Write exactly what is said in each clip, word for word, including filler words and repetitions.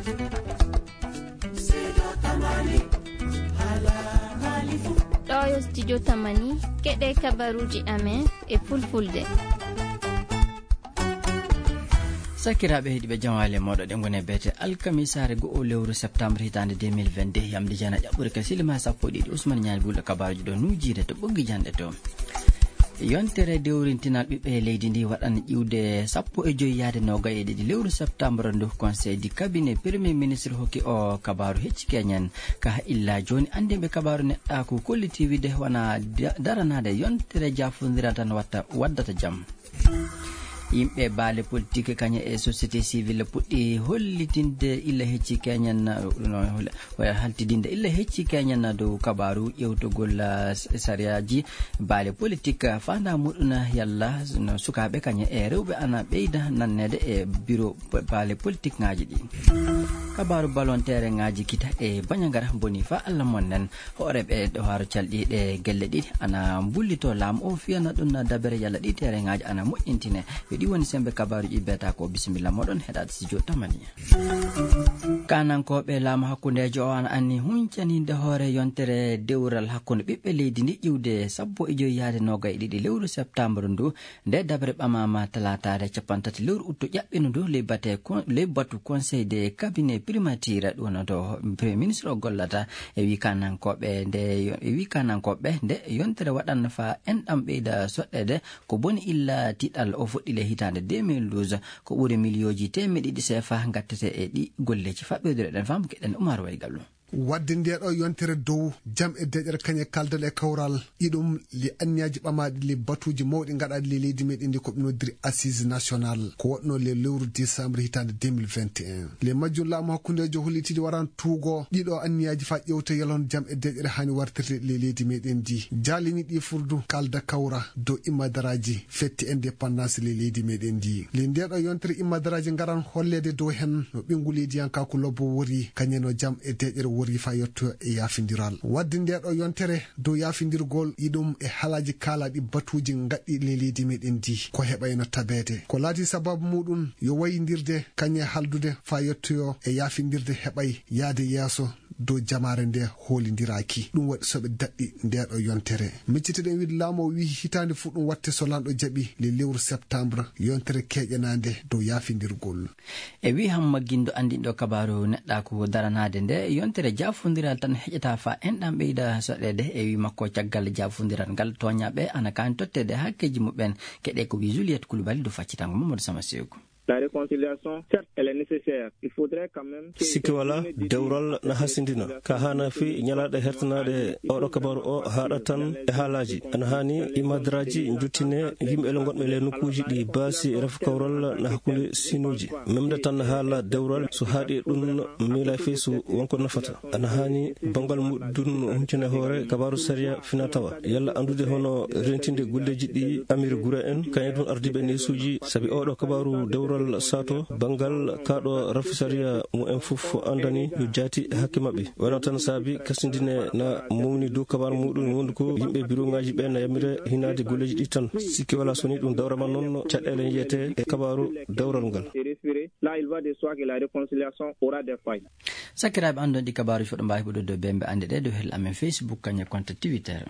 Ɗo yo studio Tamani, keɗe kabaruuji amen e fulfulde. Sakiraaɓe heɗiiɓe, jamaale mooɗo ɗe ngone beete alkamisaare go'o lewru septembre hitaande deux mille vingt-deux, yamde jana ƴaɓɓure ka silima sappo e ɗiɗi, Usman Ñaali Gulɗo kabaruuji ɗo nuujiire to ɓoggi janɗe to. Yontere dewrintinal ɓiɓɓe leydi ndi waɗan ƴiwde sappo e joy yaade noogay e ɗiɗi lewru septembre ndu. Conseil du cabinet premier ministre hokki o kabaaru hecci keñen. Ka illa jooni, anndinɓe kabaaru neɗɗaaku kolliti wiide wona da-, daranaade yontere jaafondiral tan watta, waddata jam. Yimɓe baale politique kañe e société civile puɗɗi hollitinde illa hecci keñen, no, no, haltidinde illa hecci keñen dow kabaaru ƴewtugol, ah, s-, sariyaaji baale politique, ah, faandaa muɗum yalla no sukaaɓe kañe e rewɓe ana ɓeyda nanneede e biro p-, baale politique ŋaaji ɗi. Kabaaru ballon terrain ŋaaji kita e Bandiagara boni fa Allah mon nen. Hooreeɓe ɗo haaro calɗi ɗe gelle ɗiɗi ana mbullito laamu o fiyana ɗum na dabere yalla ɗi terrain ŋaaji ana moƴƴintine. Yo ɗi woni sembe kabaaruuji beeta ko. Bisimilla moɗon heɗaade studio Tamani. Kaanankooɓe laamu hakkundeejo o ana anni huncaninde hoore yontere dewral hakkunde ɓiɓɓe leydi ndi ƴiwde sappo e joy yaade noogay e ɗiɗi lewru septembre ndu. Nde dabre ɓamaama talaataare cappanɗe tati lewru uttu ƴaɓɓino ndu ley bate kon-, ley batu conseil de cabinet primature ɗum no to premier ministre o gollata. E wi kaanankooɓe nde yo-, e wi kaanankooɓe nde yontere waɗan fa enɗam ɓeyda soɗɗeede ko boni illa tiɗal o fuɗɗi le hitaande deux mille douze. Ko ɓuri miliyooji teemeɗe ɗiɗi seefa ngattete e ɗi golleeji. Faɓɓoyde ɗen fam keɗen Umar Waygallo. Wadde nde ɗo yontere dow jam e deƴere kañe kaldal e kawral, iɗum le anniyaaji ɓamaaɗi le batuuji mawɗi gaɗaaɗi le leydi meɗen ndi ko ɓe noddiri assise national, ko waɗno le lewru décembre hitaande deux mille vingt et un. Le majjum laamu hakkundeejo hollitidi waran tuugo ɗiɗo anniyaaji fa ƴewte yalon jam e deƴere hani wartirde le leydi meɗen ndi. Jaalini ɗi furdu kalda kawra dow immadaraaji fette indépendance le leydi meɗen ndi. Le nde ɗo yontere immadaraaji ngaran holleede dow hen no ɓinngu leydiyankaaku lobbo wori, kañe no jam e deƴere wori fa yetto e yaafindiral. Wadde nde ɗo yontere dow yaafindirgol iɗum e haalaaji kaalaaɗi batuuji gaɗɗi le leydi meɗen ndi ko heɓayno tabeede. Ko laati sababu muɗum yo wayindirde kañe haldude fa yettoyo e yaafindirde heɓay yaade yeeso dow jamaare nde hoolindiraaki. Ɗum waɗi soɓe daɗɗi nde ɗo yontere. Miccitoɗen wiide laamu o wi'i hitaande fof ɗum watte so lanɗo jaɓi le lewru septembre yontere keƴanaande dow yaafindirgol. E wi Hamma Gindo anndinɗo kabaaru neɗɗaaku daranaade nde yontere jaafondiral tan heƴata fa enɗam ɓeyda soɗeede. E wi makko caggal jaafondiral ngal tooñaaɓe ana kaani totteede hakkeeji muɓɓen. Keɗe ko wi Juliette Coulibaly do faccitango Mamadou Sama Seeku. La réconciliation, certes, elle est nécessaire. Il faudrait quand même que... Sikke wala, dewral na hasindina. Ka hana fi ñalaaɗe hertanaaɗe oɗo kabaru o haaɗa tan e haalaaji. Ana hani imadraji njuttine yimɓe le gonɓe le nokkuuji ɗi baasi ref kawral na hakkunde sinuuji. Memde tan haala dewral so haaɗi ɗum miila fi so wonko nafata. Ana hani bangal muɗum huncine hoore kabaru sariya fina tawa. Yalla anndude hono rentinde golleeji ɗi Amir Gura en, kañum ɗum ardiiɓe neesuuji, sabi oɗo kabaaru dewral saato banngal kaaɗo rafi sariya mo en fof anndani yo jaati hakke maɓɓe. Wano tan saabi kasindine na mawni dow kabaaru muɗum wondu ko yimɓe biroŋaaji ɓe na yamira hinaade golleeji ɗi tan. Sikke wala so ni ɗum dawrama noon caɗeele yiyete e kabaaru dewral ngal. Et respirer. Là, il va de soi que la réconciliation aura des failles. Sakiraaɓe, anndon ɗi kabaaruuji fof ɗo mbaawi heɓude dow bembe annde ɗe dow hel amen Facebook kañum e compte Twitter.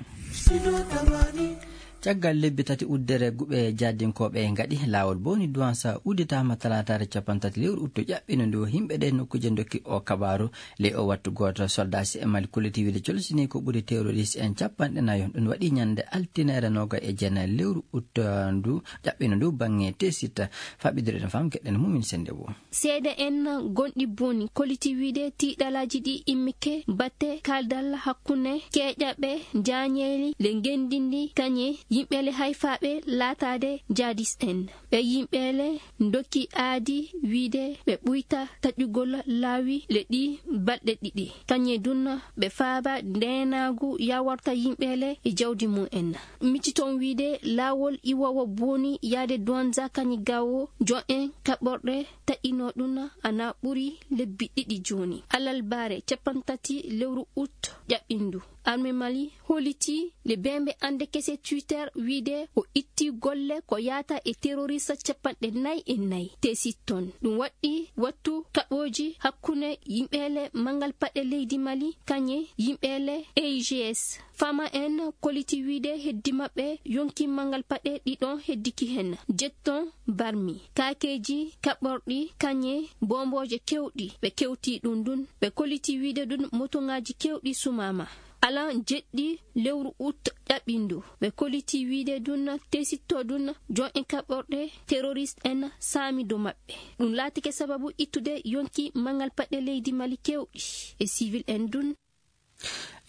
Caggal lebbi tati uddere guɓe jaadinkooɓe ngaɗi, laawol Boni Duwansa udditaama talaataare cappanɗe tati lewru uttu ƴaɓɓino ndu. Yimɓe ɗe nokkuuje ndokki o kabaaru. Ley o wattu gooto, soldaasi e Mali kolliti wiide colsini ko ɓuri terroriste en cappanɗe nayo. Ɗum waɗi ñande altineere noga e jeenayi lewru uttu ndu ƴaɓɓino ndu baŋŋe Tesit. Faɓɓidire ɗum fam keɗen Mumin Sennde wo. Seede en gonɗi Boni kolliti wiide tiiɗalaaji ɗi immike batte kaaldal hakkunde keeƴaɓe jaañeeli le ngenndi ndi kañe yimɓe le hayfaaɓe laataade jaadis en. Ɓe yimɓe le ndokki aadi wiide ɓe ɓuyta taƴugol laawi le ɗi balɗe ɗiɗi. Kañe dunna ɓe faaba ndeenaagu yawarta yimɓe le e jawdi mum en. Micci toon wiide laawol iwoowo Boni yaade Duwanza kañi gawo jo'en kaɓorɗe taƴino ɗum ana ɓuri lebbi ɗiɗi jooni. Alarbaare cappanɗe tati lewru ut ƴaɓɓindu. Armée Mali holiti le bembe ande kese Twitter wiide o itti golle ko yaata e terroriste capanɗe nayi e nayi. Tesitton ɗum waɗɗi wattu kaɓooji hakkunde yimɓeele mangal paɗe leydi Mali, kañe yimɓeele A I G S. Fama en koliti wiide heddi maɓɓe yonki mangal paɗe ɗiɗon heddiki hen. Jetton barmi, kaakeeji kaɓɓorɗi, kañe bombooje kewɗi. Ɓe kewti ɗum ɗum. Ɓe koliti wiide ɗum motoŋaaji kewɗi sumaama. Alan jeɗɗi lewru ut ƴaɓɓindu. Ɓe koliti wiide ɗum tesitto ɗum jon en kaɓɓorɗe terroriste en saami dow maɓɓe. Ɗum laatike sababu ittude yonki mangal paɗe leydi Mali kewɗi e civil en ɗum.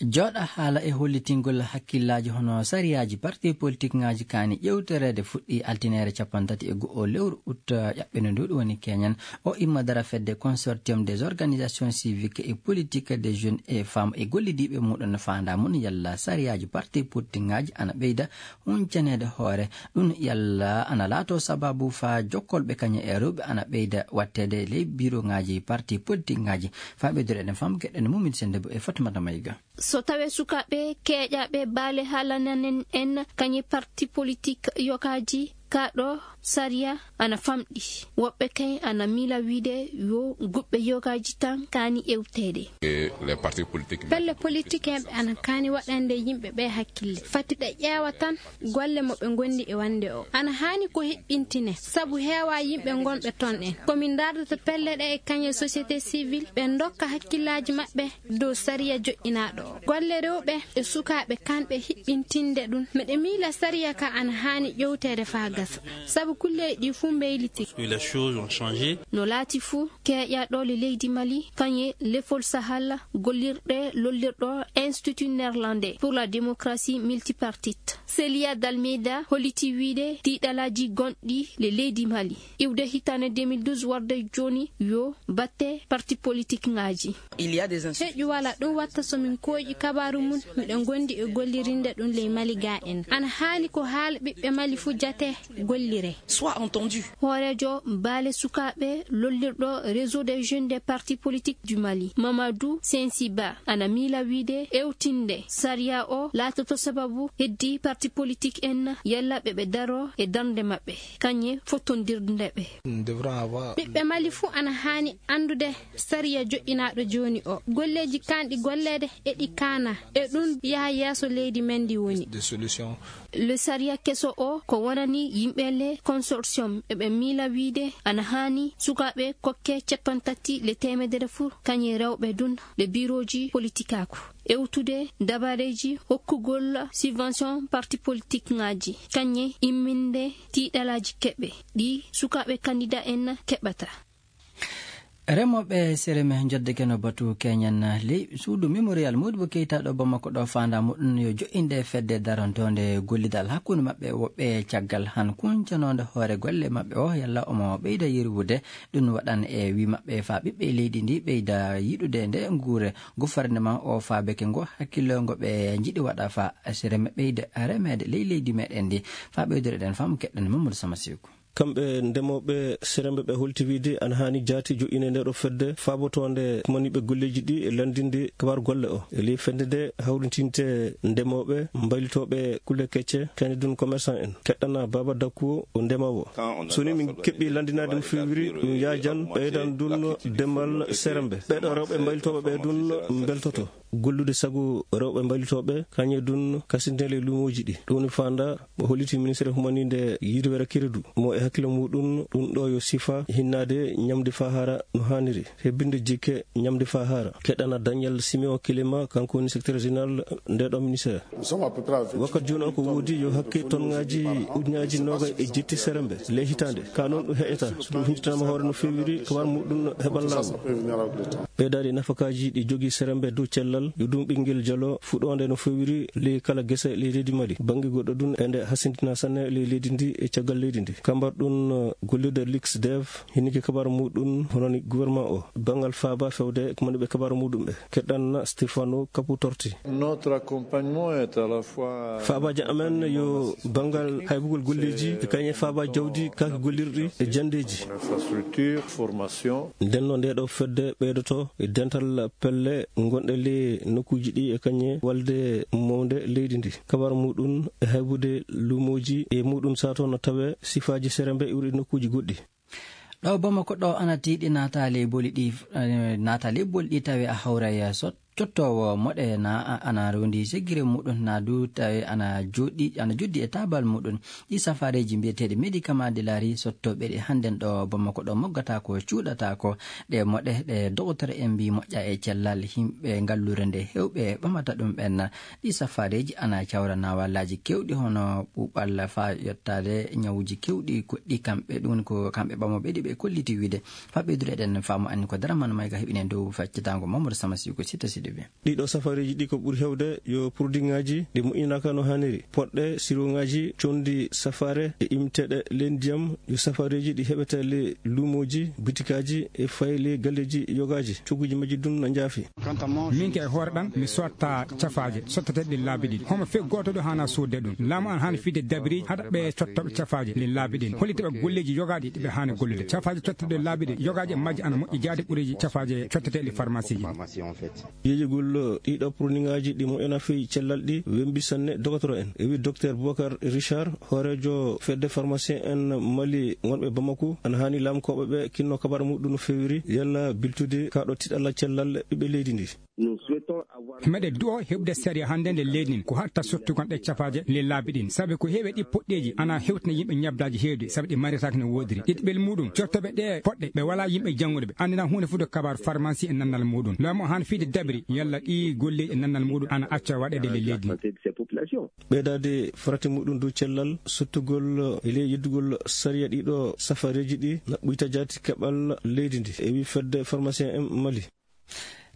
Jooɗa haala e hollitingol hakkillaaji hono sariyaaji parti politique ŋaaji kaani ƴeewtereede fuɗɗi altineere cappanɗe tati e go'o lewru ut ƴaɓɓindu ndu, ɗum woni keñen. O imma dara fedde Consortium des organisations civiques et politiques des jeunes et femmes e gollidiiɓe muɗum faanda mum yalla sariyaaji parti politique ŋaaji ana ɓeyda huncaneede hoore. Ɗum yalla ana laato sababu faa jokkolɓe kañe e rewɓe ana ɓeyda watteede ley biroŋaaji parti politique ŋaaji. Faa ɓeydude eɗen fam geɗen Mumin Sendebo e Fatimata Mayga. So tawee sukaaɓe keeƴaaɓe baale haalananen en kañe parti politique yogaaji, kaa ɗo sariya ana famɗi. Woɓɓe kay ana miila wiide yo guɓɓe yogaaji tan kaani ewteede. Pelle politique en ana kaani waɗande yimɓe ɓe hakkille. Fati ɗe ƴeewa tan golle mo ɓe ngondi e wande o. Ana haani ko hiɓɓintine, sabu heewa yimɓe ngonɓe ton en. Ko min ndaardata pelle ɗe e kañe société civile, ɓe ndokka hakkillaaji maɓɓe dow sariya joƴƴinaaɗo o. Golle rewɓe e sukaaɓe kanɓe hiɓɓintinde ɗum. Miɗe miila sariya ka ana haani ƴewteede faa gasa, sabu kulleeji ɗi fuu mbeyliti. No laati fuu, keeƴaaɗo le leydi Mali, kañe lefol Sahel, gollirɗe lollirɗo Institut Néerlandais pour la Démocratie Multipartite, Célia Dalmeida, holliti wiide tiiɗalaaji gonɗi le leydi Mali iwde hitaande deux mille douze warde jooni yo batte parti politique ŋaaji. Heƴu wala ɗum watta so min kooƴi kabaaru mum, miɗo ngondi e gollirinde ɗum ley Mali ga en. Ana haani ko haala ɓiɓɓe Mali fuu jate gollire. Hooreejo baale sukaaɓe lollirɗo Réseau des jeunes des partis politiques du Mali, Mamadou Sensiba, ana miila wiide ewtinde sariya o laatoto sababu heddi parti politique en yalla ɓe ɓe daro e darnde maɓɓe, kañe fottondirde ɓe. Ɓiɓɓe Mali fuu ana haani anndude sariya joƴƴinaaɗo jooni o. Golleeji kaanɗi golleede e ɗi kaana, e ɗum yaha yeeso leydi men ndi woni. Le sariya keso o ko wonani yimɓe le consortium, eɓe miila wiide ana haani sukaaɓe kokke cappanɗe tati le teemedere fuu, kañe rewɓe ɗum le birooji politikaaku. Ewtude dabareeji hokkugol subvention parti politique ŋaaji, kañe imminde tiiɗalaaji keɓe ɗi sukaaɓe kandida en keɓata. Remooɓe Sereme njoddeke no batu keñen ley suudu Mémorial Modibo Keita ɗo Bamako ɗo faanda muɗum yo jo'inde fedde darontoonde gollidal hakkunde maɓɓe woɓɓe caggal han kuncanoonde hoore golle maɓɓe o yalla omo ɓeyda yirwude. Ɗum waɗan e wi maɓɓe faa ɓiɓɓe leydi ndi ɓeyda yiɗude nde nguure gouvernement o faa beke ngo hakkillo ngo ɓe njiɗi waɗa faa Sereme ɓeyda remeede ley leydi meɗen ndi. Faa ɓeydore ɗen faamu keɗɗen Mamadou Sama Seku. Kamɓe ndemooɓe Seremɓe ɓe holti wiide ana haani jaati joƴƴinde nde ɗo fedde faabotoonde kumaniiɓe golleeji ɗi e lanndinde kabar golle o. E ley fedde nde hawritinte ndemooɓe, mbaylitooɓe kulle kecce, kadi ɗum commerçant en. Keɗɗana Baaba Dakku o ndemoowo. So ni min keɓɓi lanndinaade mo feewiri, ɗum yaajan ɓeydan ɗum demal Seremɓe. Ɓeɗo rewɓe mbaylitooɓe ɓe ɗum mbeltoto. Gollude sago rewɓe mbaylitooɓe, kañe ɗum kasintele luumooji ɗi. Ɗum woni faanda mo holliti ministre humaninde yirwere keredu. Mo e hakkille muɗum, ɗum ɗo yo sifa hinnaade ñamde faa hara no haaniri. Hebbinde jikke ñamde faa hara. Keɗɗana Daniel Simeon Kilema, kanko woni secrétaire général nde ɗo ministère. Wakkati jooni o ko woodi yo hakke tonngaaji ujunaaji noogay e jetti Seremɓe ley hitaande. Ka noon ɗum heƴata. So ɗum huntitama hoore no feewiri, kabar muɗum heɓan laamu. Ɓeydaade nafakaaji ɗi jogii Seremɓe dow cellal, yo ɗum ɓinngel jalo fuɗoonde no feewiri ley kala gese ley leydi Mali. Bannge goɗɗo ɗum, e nde hasintina sanne ley leydi ndi e caggal leydi ndi. Kambar ɗum, gollirde Lux Dev, hiniki kabar muɗum, hono ni gouvernement o. Banngal faaba fewde ko moni ɓe kabar muɗum ɓe. Keɗɗan Stefano Caputorti. Notre accompagnement est à la fois Faabaaji amen yo banngal haybugol golleeji, e kañe faaba jawdi, kaaki gollirɗi e janndeeji. Infrastructure, formation. Ndenno nde ɗo fedde ɓeydoto E dental pelle gonɗe ley nokkuuji ɗi e kañe walde mawnde leydi ndi. Kabar muɗum e haybude luumooji e muɗum sato no tawe sifaaji serembe iwri nokkuuji goɗɗi. Ɗo Bamako ɗo ana tiiɗi naata ley boli ɗi, eh, naata ley boli ɗi tawe a hawray sot-, cottoowo moɗe na a-, ana rondi segire muɗum na du tawe ana joɗi, ana joddi e taabal muɗum. Ɗi safareeji mbiyeteeɗi médicament de la rue sottooɓe ɗi hannden ɗo Bamako ɗo moggata ko cuuɗata ko ɗe moɗe ɗe dogotere en mbi moƴƴa e cellal yimɓe ngalluure nde heewɓe ɓamata ɗum ɓen. Ɗi safareeji ana cawra nawalaaji keewɗi hono ɓuuɓal faa yottaade ñawuuji keewɗi goɗɗi kamɓe, ɗum woni ko kamɓe ɓamooɓe ɗi ɓe kolliti wiide. Faa ɓeydude eɗen faamu anni ko Daraman Mayga heɓini en dow faccitaango Mamadou Sama Siw ko Sita Sidibe. Ɗiɗo safareeji ɗi ko ɓuri heewde yo produitŋaaji ɗi moƴƴinaaka no haaniri, poɗɗe, siroŋaaji, conndi safaare e imteeɗe ley ndiyam, yo safareeji ɗi heɓete ley luumooji, bitikaaji e fayi ley galleeji yogaaji. Cogguuji majji ɗum na njaafi. Min ke e hoore ɗam, mi sotta cafaaje sotteteeɗe ɗi laabi ɗiɗi. Homo fii gooto ɗo haana soodde ɗum. Laamu an haana fiide dabiri haɗa ɓe cottooɓe cafaaje ɗi laabi ɗiɗi. Hollita ɓe golleeji yogaaɗi ɗi ɓe haani gollude. Cafaaje cotteteeɗe laabi ɗiɗi, yogaaji e majji ana moƴƴi jaade ɓureeji cafaaje cotteteeɗe ɗi farmasiiji. Yeeyugol ɗiɗo produitŋaaji ɗi moƴƴana fii cellal ɗi wembi sanne dogotoro en. E wi Docteur Boubacar Richard, hooreejo fedde pharmacien en Mali wonɓe Bamako, ana haani laamkooɓe ɓe kinno kabar muɗum no feewiri, yalla biltude ka ɗo tiɗalla cellal ɓiɓɓe leydi ndi. Meɗe du'o heɓde sariya hannde nde leydi ndin, ko hatta sottugon ɗe cafaaje le laabi ɗin. Sabi ko heewi ɗi poɗɗeeji ana hewtina yimɓe ñabdaaji heewɗi, sabi ɗi maritaaki no woodiri. Ɗiɗɓel muɗum, cottoɓe ɗe poɗɗe, ɓe wala yimɓe janngude ɓe, anndina huunde fof de kabar farmasi e nannal muɗum. Laamu o han fiide dabiri, yalla ɗi golleeji e nannal muɗum ana acca waɗeede le leydi ndin. Ɓeydaade farati muɗum dow cellal, sottugol e ley yeddugol sariya ɗiɗo safareeji ɗi, na ɓuyta jaati keɓal leydi ndi, e wi fedde pharmacien en Mali.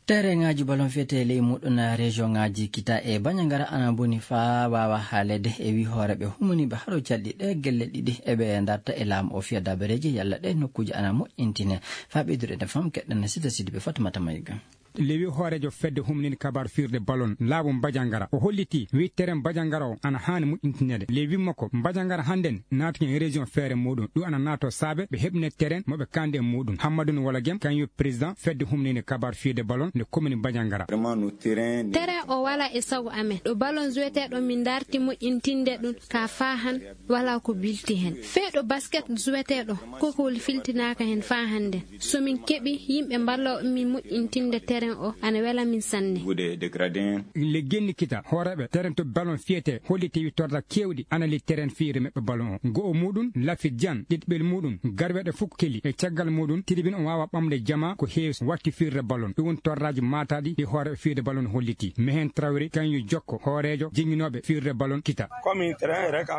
Tereŋaaji balon fiyete ley muɗum région ŋaaji Kita e Bandiagara ana boni faa waawa haaleede, e wi hooreeɓe humaniiɓe haro calɗi ɗe gelle ɗiɗi eɓe darta e laamu o fiya dabareeji yalla ɗe nokkuuji ana moƴƴintine. Faa ɓeydude e fam keɗɗen Sita Sidibe Fatumata Mayga. Lewi hooreejo fedde humnini kabar firde balon laamu Bandiagara. O holliti wi teren Bandiagara o ana haani moƴƴintineede. Lewi makko Bandiagara hannden naati e région feere muɗum. Ɗum ana naato saabe ɓe heɓne teren mo ɓe kande e muɗum. Hammadun Wala Gem, kañum président fedde humnini kabar firde balon nde commune Bandiagara. Vraiment, no terrain. Teren o wala e sago amen. Ɗo balon joueteɗo min darti moƴƴintinde ɗum ka faa han wala ko bilti hen. Fee ɗo basket joueteɗo, kokowol filtinaaka hen faa hannden. So min keɓi yimɓe mballooɓe min moƴƴintinde teren o, ana wela min sanne. Le Genni Kita, hooreeɓe teren to balon fiyete, holliti wi torra keewɗi ana li teren fiyre meɓɓe balon o. Go'o muɗum, Lafi Jan, ɗiɗɓel muɗum, garweɗo fof keli. E caggal muɗum, tribune o waawa ɓamde jama ko heewi watti firre balon. Ɗum woni torraaji maataaɗi ɗi hooreeɓe firre balon holliti. Mehen Traoré, kañum jokko hooreejo jennginooɓe firre balon Kita.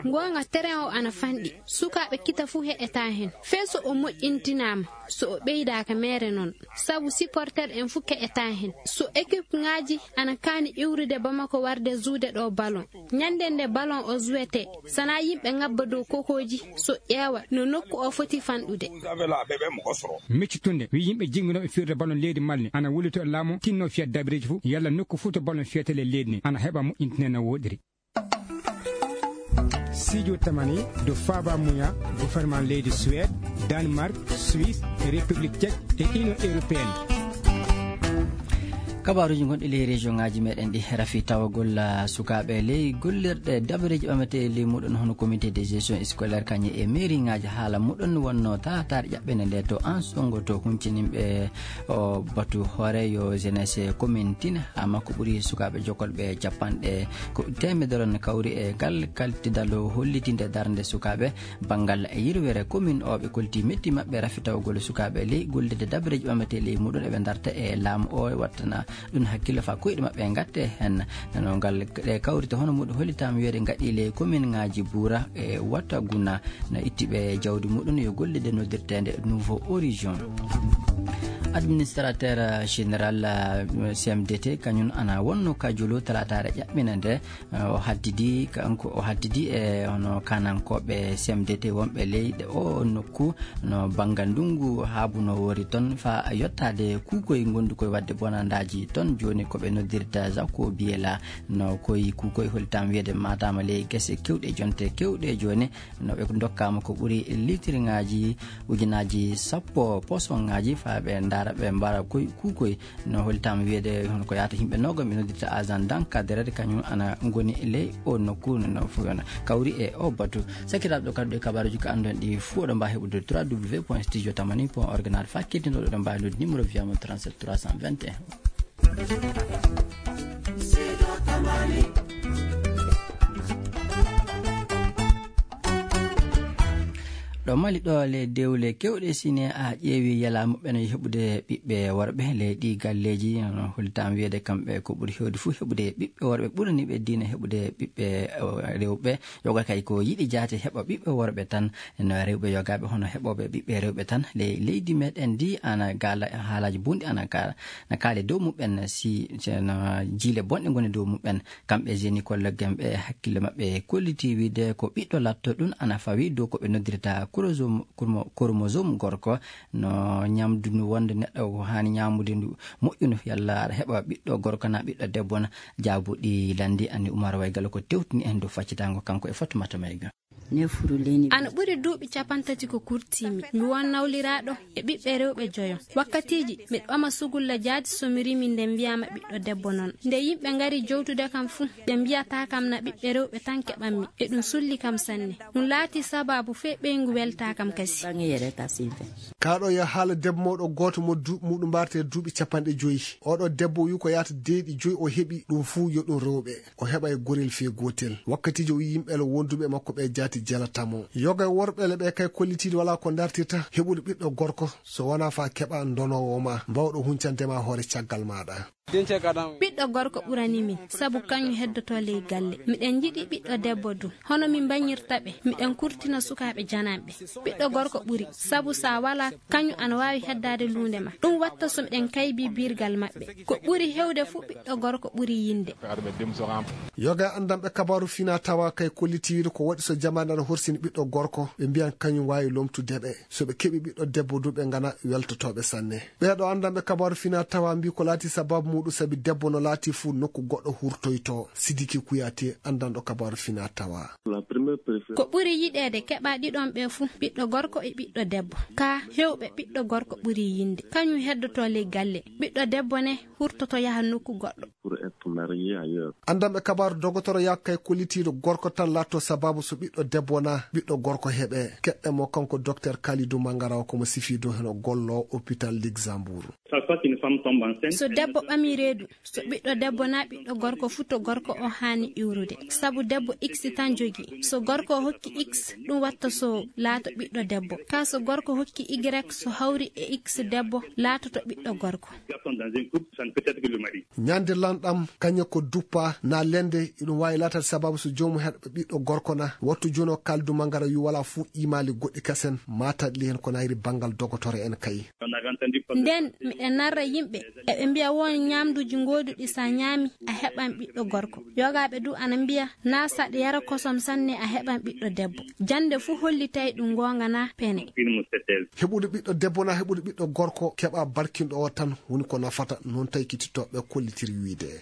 Goonga, teren o ana fanɗi. Sukaaɓe Kita fuu heɗetaa hen. Fee so o moƴƴintinaama, so o ɓeydaaka meere noon. Sabu supporter en fuu keƴataa hen. So équipe ŋaaji ana kaani iwrude Bamako warde zuude ɗo balon. Ñande nde balon o zuwetee, sana yimɓe ŋabba dow kokooji, so ƴeewa no nokku o foti fanɗude. Miccitunde, wi yimɓe jennginooɓe firde balon leydi Mali, ana wulito e laamu, tinno fiya dabireeji fuu, yalla nokku fuu to balon fiyete le leydi ndi, ana heɓa moƴƴintine no woɗiri. Sidio Tamani, do Faba Muya, gouvernement leydi Suède, Danemark, Suisse, République Tchèque e Union Européenne. Kabaaruuji gonɗi ley région ŋaaji meɗen ɗi rafi tawagol, ah, sukaaɓe ley gollirɗe dabareeji ɓametee ley muɗum hono comité de gestion scolaire kañum e mairie ŋaaji haala muɗum wonno taataare ƴaɓɓende nde to Ansongo to huncininɓe o batu hooreejo jeunesse commune Tine. Haa makko ɓuri sukaaɓe jokolɓe capanɗe ko teemedere no kawri e ngal kaltidal hollitinde darnde sukaaɓe banngal yirwere commune o. Ɓe kolti metti maɓɓe rafitawgol sukaaɓe ley gollirde dabareeji ɓametee ley muɗum eɓe darta e laamu o wattana ɗum hakkille faa koyɗe maɓɓe ngatte hen. No ngal ɗe kawrite hono muɗum hollitaama wiyeede ngaɗi ley commune ŋaaji Buura e Wataguna. No itti ɓe jawdi muɗum yo gollirde noddirteende Nouveau Horizon. Administrateur général, eh, C M D T kañum ana wonno ka Jolo talaataare ƴaɓɓina nde, eh, o haddidi, kanko o haddidi e hono kanankooɓe C M D T wonɓe leyɗe o nokku no banngal ndunngu haabuno woori toon faa yottaade kuukoy ngondukoy waɗde bonandaaji toon. Jooni ko ɓe noddirta Zako Biyela no koy kuukoy hollitaama wiyeede maataama ley gese kewɗe jonte kewɗe jooni. No ɓe ndokkaama ko ɓuri litirŋaaji ujunaaji sappo posoŋaaji faa ɓe ndaara Ɓe mbaara koy kuukoy no hollitaama wiyeede hono ko yaata yimɓe noogam ɓe noddirta agent d'encadreur kañum ana ngoni ley o nokku no fof yon kawri e o batu. Sakiraaɓe ɗo kadi ɗo kabaruuji ko anndon ɗi fof ɗo mbaa heɓude trois w point studio tamani point org naata faa keddinooɗo ɗo mbaa noddi numéro wiyama trente-sept trois cent vingt et un. Ɗo Mali ɗo le dewle kewɗe sine a ƴeewi yela muɓɓen heɓude ɓiɓɓe worɓe le ɗi galleeji no hollitam wiyeede kamɓe ko ɓuri hewde fof heɓude ɓiɓɓe worɓe ɓurani ɓe diina heɓude ɓiɓɓe rewɓe. Yoga kay ko yiɗi jaate heɓa ɓiɓɓe worɓe tan no rewɓe yogaaɓe hono heɓooɓe ɓiɓɓe rewɓe tan le leydi meɗen ndi ana gaala haalaaji bonɗi ana ka na kaale dow muɓɓen si na jiile bonɗe ngoni dow muɓɓen. Kamɓe jeni kolleggen ɓe hakkille maɓɓe kolliti wiide ko ɓiɗɗo latto ɗum ana fawi dow ko ɓe noddirta chromosome gorko no ñamdu ndu wonde neɗɗo ko haani ñamude ndu moƴƴu ndu yalla aɗa heɓa ɓiɗɗo gorko na ɓiɗɗo debbo na. Jaabuɗi landi anni Umar Waygalo ko tewtini en dow faccitango kanko e Fatumata Mayga. Ana ɓuri duuɓi capantati ko kurtiimi mi won nawliraaɗo e ɓiɓɓe rewɓe joyo. Wakkatiiji miɗo ɓama sugulla jaati so mi rimi nde mbiyaama ɓiɗɗo debbo noon. Nde yimɓe ngari jowtude kam fuu ɓe mbiyata kam na ɓiɓɓe rewɓe tan keɓanmi e ɗum sulli kam sanne. Ɗum laati sabaabu fee ɓeyngu weltaa kam kasi. Kaaɗo yo haala debbo mawɗo gooto mo duuɓi muɗum mbaarata e duuɓi capanɗe joyi. Oɗo debbo wi ko yaata deeɗi joyi o heɓi ɗum fuu yo ɗum rewɓe. O heɓa e gorel fee gootel wakkatiiji o yimɓe wonduɓe makko ɓe jaati jelatamo yoga e worɓe le ɓe kay kollitiiɗo wala ko dartirta heɓude ɓiɗɗo gorko so wona fa keɓa ndonoowo ma mbawɗo huncande ma hoore caggal maɗa. Ɓiɗɗo gorko ɓurani min sabu kañum heddoto ley galle miɗen njiɗi ɓiɗɗo debbo du hono min mbañirta ɓe miɗen kurtina sukaaɓe jananɓe. Ɓiɗɗo gorko ɓuri sabu sa wala kañum ana waawi heddaade luunde ma ɗum watta so miɗen kaybi birgal maɓɓe. Ko ɓuri hewde fuu ɓiɗɗo gorko ɓuri yinde. Yoga e anndanɓe kabaaru fina tawa kay kollitiiɗo ko waɗi so jamaane ana horsini ɓiɗɗo gorko ɓe mbiyan kañum waawi lomtude ɓe so ɓe keɓi ɓiɗɗo debbo du ɓe ngana weltotooɓe sanne. Ɓeeɗo anndanɓe kabaaru fina tawa mbi ko laati sababu muɗum sabi debbo no laati fuu nokku goɗɗo hurtoyto. Sidiki Kuyate anndanɗo kabaaru fina tawa. Ko ɓuri yiɗeede keɓa ɗiɗon ɓe fuu ɓiɗɗo gorko e ɓiɗɗo debbo ka hewɓe ɓiɗɗo gorko ɓuri yinde kañum heddoto ley galle. Ɓiɗɗo debbo ne hurtoto yaha nokku goɗɗo. Anndanɓe kabaaru dogotoro yakka e kollitiiɗo gorko tan laatto sababu so ɓiɗɗo debbo na ɓiɗɗo gorko heɓe keɗɗe mo kanko docteur Kalidou Mangara o komo sifi dow heno gollo hôpital Luxembourg. So debbo ɓami reedu so ɓiɗɗo debbo na ɓiɗɗo gorko fuu to gorko o haani iwrude sabu debbo x tan jogi so gorko o hokki x ɗum watta so laato ɓiɗɗo debbo ka so gorko hokki y so hawri e x debbo laatoto ɓiɗɗo gorko. Ñande lanɗam kañe ko duppa na lende iɗum wawi latade sababu so jomum heɗɓe ɓiɗɗo gorko na wattu jono kaldu mangara yu wala fuu imali goɗɗi kasen mataɗli hen ko nayri bangal dogotore en kay. Nden miɗen narra yimɓe eɓe mbiya won ñamduji ngoduɗi sa ñaami a heɓan ɓiɗɗo gorko. Yogaɓe du ana mbiya na saɗa yara kosom sanne a heɓan ɓiɗɗo debbo. Jande fuu hollitay ɗum gonga na pene. Heɓude ɓiɗɗo debbo na heɓude ɓiɗɗo gorko keɓa barkinɗo o tan woni ko nafata non taykitittoɓe kollitiri wiide.